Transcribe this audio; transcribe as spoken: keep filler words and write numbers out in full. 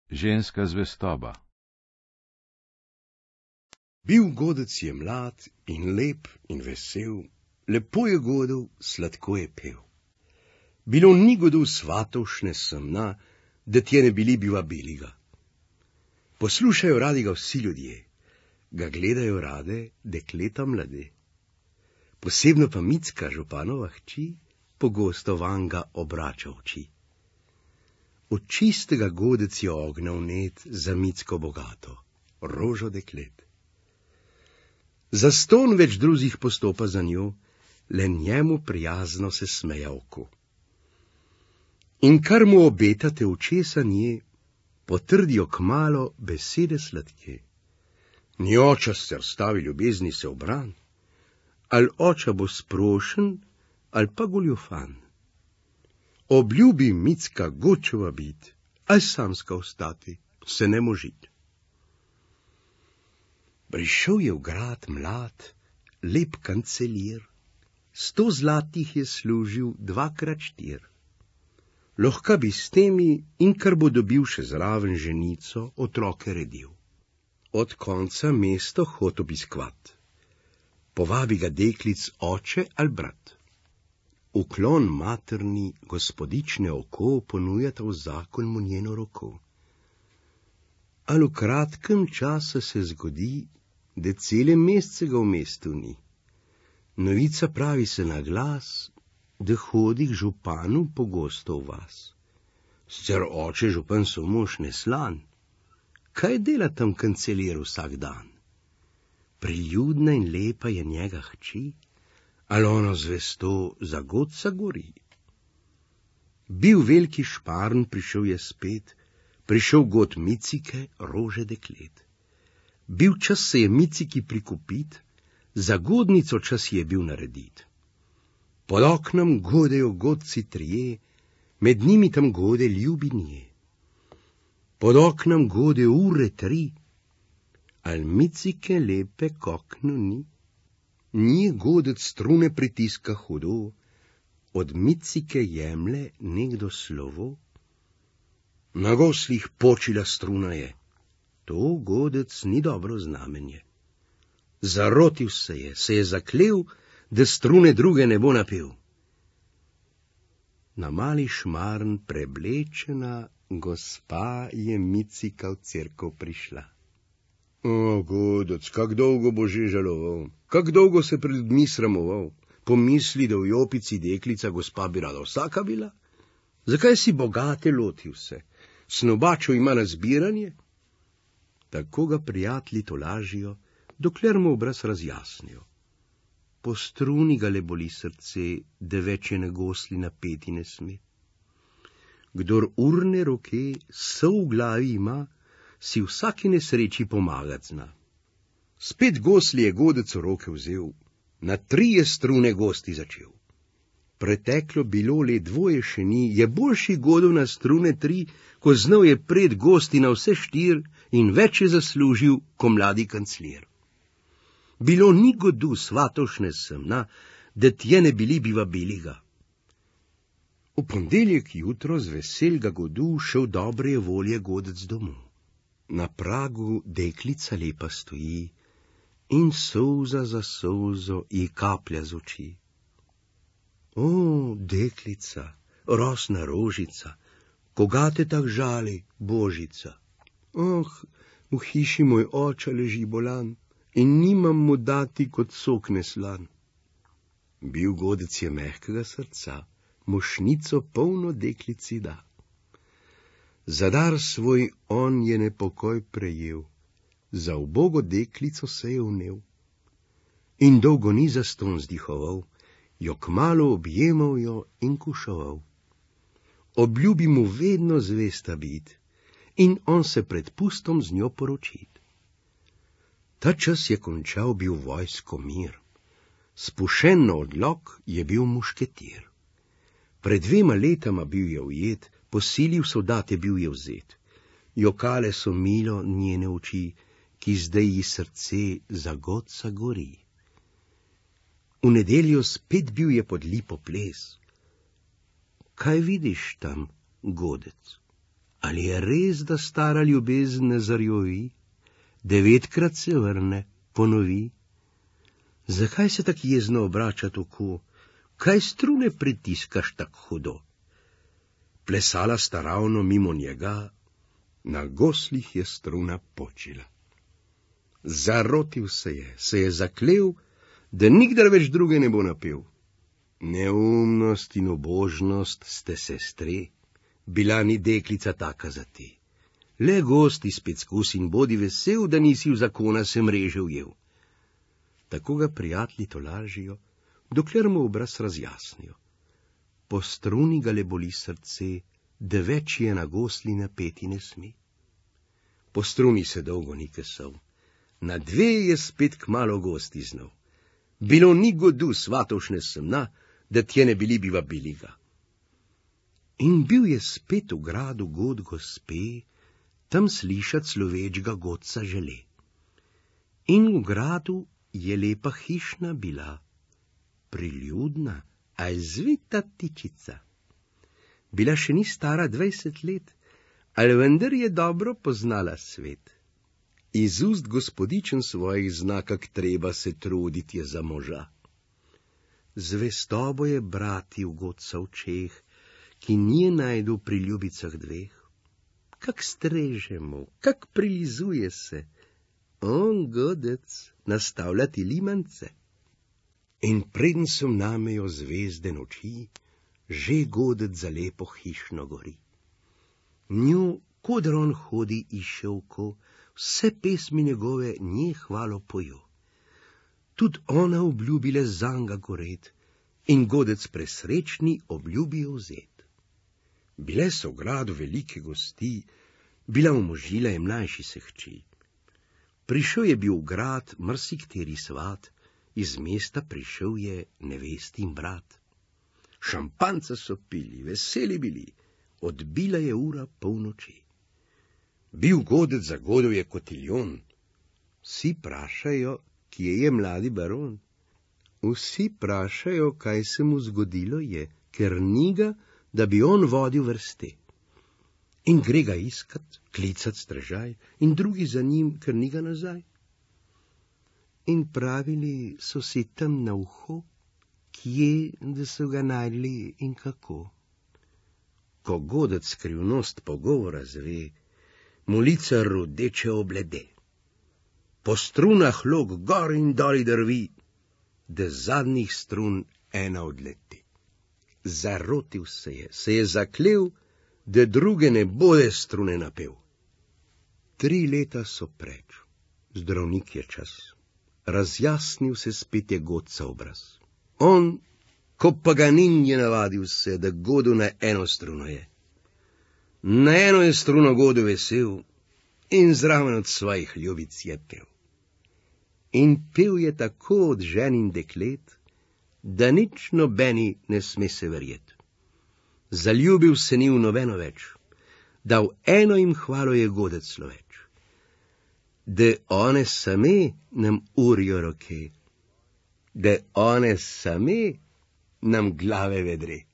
Ženska zvestoba. Bil godec je mlad in lep in vesel, lepo je godel, sladko je pel. Bilo ni godu svatovšne semna, da tje ne bili biva beliga. Poslušajo radi ga vsi ljudje, ga gledajo rade dekleta mlade. Posebno pa Micka, županova hči, pogosto vanga obrača oči. Od čistega godec je ognal net za Micko bogato, rožo deklet. Za ston več drugih postopa za njo, le njemu prijazno se smeja oko. In kar mu obetate očesa nje, potrdijo kmalo besede sladke. Ni oča se stavi ljubezni se obran, al oča bo sprošen, al pa goljufan. Obljubi Micka gočeva bit, al samska ostati, se ne možit. Prišel je v grad mlad, lep kancelir, sto zlatih je služil dvakrat štir. Lahko bi s temi in kar bo dobil še zraven ženico, otroke redil. Od konca mesto hod obiskvat. Povabi ga deklic oče ali brat. Uklon materni gospodične oko ponujata v zakon mu njeno roko. Al v kratkem času se zgodi, da cele mesece ga v mestu ni. Novica pravi se na glas, da hodi k županu pogosto v vas. Sicer oče župan so mož neslan, kaj dela tam kancelir vsak dan? Priljudna in lepa je njega hči, ali ono zvesto za godca gori. Bil veliki šparn, prišel je spet, prišel god Micike, rože deklet. Bil čas se je Miciki prikupit, za godnico čas je bil naredit. Pod oknom godejo godci trije, med njimi tam gode ljubi nje. Pod oknom gode ure tri, al Micike lepe k oknu ni. Nje godec strune pritiska hudo, od Micike jemle nekdo slovo. Na goslih počila struna je, to godec ni dobro znamenje. Zarotil se je, se je zaklel, da strune druge ne bo napel. Na mali šmarn preblečena gospa je Micika v cerkev prišla. O, godec, kak dolgo bo že žaloval, kak dolgo se pred ljudmi sramoval, pomisli, da v jopici deklica gospa bi rada vsaka bila? Zakaj si bogate lotil se? Snobačo ima na zbiranje? Tako ga prijatelji tolažijo, dokler mu obraz razjasnijo. Po struni ga le boli srce, da več je na gosli napeti ne sme. Kdor urne roke so v glavi ima, si vsaki nesreči pomagat zna. Spet gosli je godec v roke vzel, na trije strune gosti začel. Preteklo bilo le dvoje še ni, je boljši godov na strune tri, ko znal je pred gosti na vse štir in več je zaslužil, ko mladi kancler. Bilo ni godu svatovšne semna, da tje ne bili biva beliga. V pondeljek jutro z veselga godu šel dobre volje godec domov. Na pragu deklica lepa stoji in solza za solzo ji kaplja z oči. O, deklica, rosna rožica, koga te tak žali, božica? Oh, v hiši moj oča leži bolan in nimam mu dati kot sok neslan. Bil godec je mehkega srca, mošnico polno deklici da. Za dar svoj on je nepokoj prejel, za ubogo deklico se je vnel. In dolgo ni zaston zdihoval, jo kmalu objemal jo in kušoval. Obljubi mu vedno zvesta bit in on se pred pustom z njo poročit. Ta čas je končal bil vojsko mir, spušen na odlok je bil mušketir. Pred dvema letama bil je ujet, po sili v soldate bil je vzet. Jokale so milo njene oči, ki zdaj ji srce za godca gori. V nedeljo spet bil je pod lipo ples. Kaj vidiš tam, godec? Ali je res, da stara ljubezen ne zarjovi, devetkrat se vrne, ponovi? Zakaj se tak jezno obrača tako? Kaj strune pritiskaš tak hudo? Plesala sta ravno mimo njega, na goslih je struna počila. Zarotil se je, se je zaklel, da nikdar več druge ne bo napel. Neumnost in obožnost ste sestre, bila ni deklica taka za te. Le gosti spet skus in bodi vesel, da nisi v zakona se mreže ujel. Tako ga prijatelji tolažijo, dokler mu obraz razjasnijo. Po struni ga le boli srce, da več je na gosli napeti ne sme. Po struni se dolgo ni kesal, na dve je spet kmalo gosti znal. Bilo ni godu svatovšne semna, da tje ne bili bi vabili ga. In bil je spet v gradu god gospe, tam slišat slovečga godca žele. In v gradu je lepa hišna bila, priljudna, a zvita tičica. Bila še ni stara dvajset let, ali vendar je dobro poznala svet. Iz ust gospodičen svojih zna, kak treba se truditi je za moža. Zvestobo je brati v godca očeh, ki nije najdu pri ljubicah dveh. Kak streže mu, kak prilizuje se, on godec nastavljati limance. In preden so namejo zvezde noči, že godec za lepo hišno gori. Nju, kodr on hodi iščevko, vse pesmi njegove nje hvalo pojo. Tud ona obljubile zanga goret in godec presrečni obljubijo vzet. Bile so v gradu velike gosti, bila umožila je mlajši se hči. Prišel je bil v grad marsikteri svat, iz mesta prišel je nevestin brat. Šampanca so pili, veseli bili, odbila je ura polnoči. Bil godec za godov je kotiljon, vsi prašajo, kje je mladi baron. Vsi prašajo, kaj se mu zgodilo je, ker ni ga, da bi on vodil vrste. In gre ga iskat, klicat strežaj, in drugi za njim, ker ni ga nazaj. In pravili so si tam na uho, kje, da so ga najdli in kako. Ko godec skrivnost pogovora zve, mu lica rodeče oblede. Po strunah lok gor in doli drvi, da zadnjih strun ena odleti. Zarotil se je, se je zaklel, da druge ne bode strune napel. Tri leta so preč, zdravnik je čas. Razjasnil se spet je godca obraz. On, ko Paganin je navadil se, da godu na eno struno je. Na eno je struno godu vesel in zraven od svojih ljubic je pel. In pel je tako od žen in deklet, da nič nobeni ne sme se verjet. Zaljubil se ni v nobeno več, da v eno jim hvalo je godec sloveč. Da one same nam urijo roke, da one same nam glave vedre.